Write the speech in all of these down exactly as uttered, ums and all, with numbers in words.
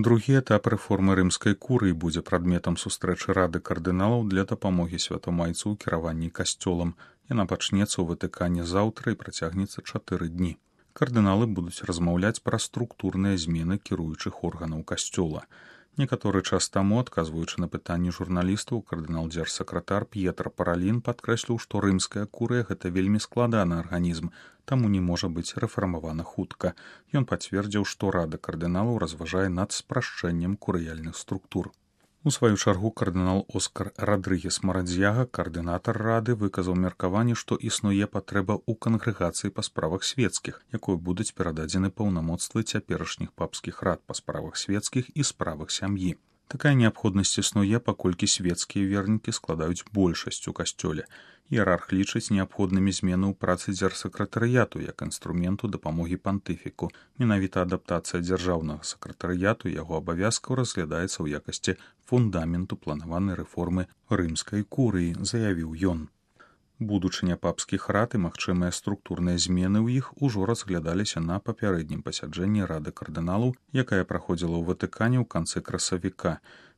Другі этап рэформы рымскай курыі будзе прадметам сустрэчы рады кардыналаў для дапамогі святамайцу ў кіраванні касцёлам. Яна пачнецца ў Ватыкане заўтра і працягнецца чатыры дні. Кардыналы будуць размаўляць пра структурныя змены кіруючых органаў касцёла. Некаторы час таму, адказваючы на пытанні журналістаў, кардынал-дзяржсакратар П'етра Паралін падкрэсліў, што рымская курыя гэта вельмі складаны арганізм, таму не можа быць рэфармавана хутка. Ён пацвердзіў, што рада кардыналаў разважае над спрашчэннем курыяльных структур. У сваю чаргу кардынал Оскар Радрыгес Марадзьяга, каардынатар рады, выказаў меркаванне, што існуе патрэба ў кангрэгацыі па справах свецкіх, якой будуць перададзены паўнамоцтвы цяперашніх папскіх рад па справах свецкіх і справах сям'і. Такая неабходнасць існуе, паколькі свецкія вернікі складаюць большасць у касцёле. Іерарх лічыць неабходнымі змены ў працы дзяржсакратарыяту як інструменту дапамогі пантыфіку. Менавіта адаптацыя дзяржаўнага сакратарыяту яго абавязкаў разглядаецца ў якасці фундаменту планаванай рэформы рымскай курыі, заявіў ён. Будучыня папскіх рад і магчымыя структурныя змены ў іх ужо разглядаліся на папярэднім пасяджэнні рады кардыналаў, якая праходзіла ў Ватыкане ў канцы красавіка.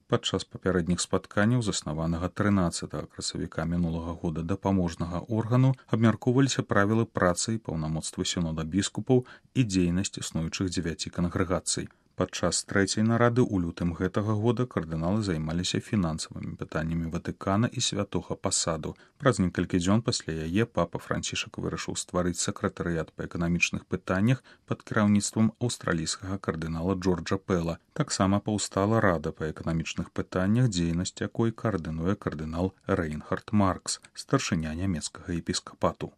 Падчас папярэдніх спатканняў, заснаванага трынаццатага красавіка мінулага года дапаможнага органу, абмяркоўваліся правілы працы і паўнамоцтвы сінода біскупаў і дзейнасць існуючых дзевяці кангрэгацый. Падчас трэцяй нарады ў лютым гэтага года кардыналы займаліся фінансавымі пытаннямі Ватыкана і святога пасаду. Праз некалькі дзён пасля яе папа Францішак вырашыў стварыць сакратарыят па эканамічных пытаннях пад кіраўніцтвам аўстралійскага кардынала Джорджа Пэла. Таксама паўстала рада па эканамічных пытаннях, дзейнасць якой каардынуе кардынал Рэйнхард Маркс, старшыня нямецкага епіскапату.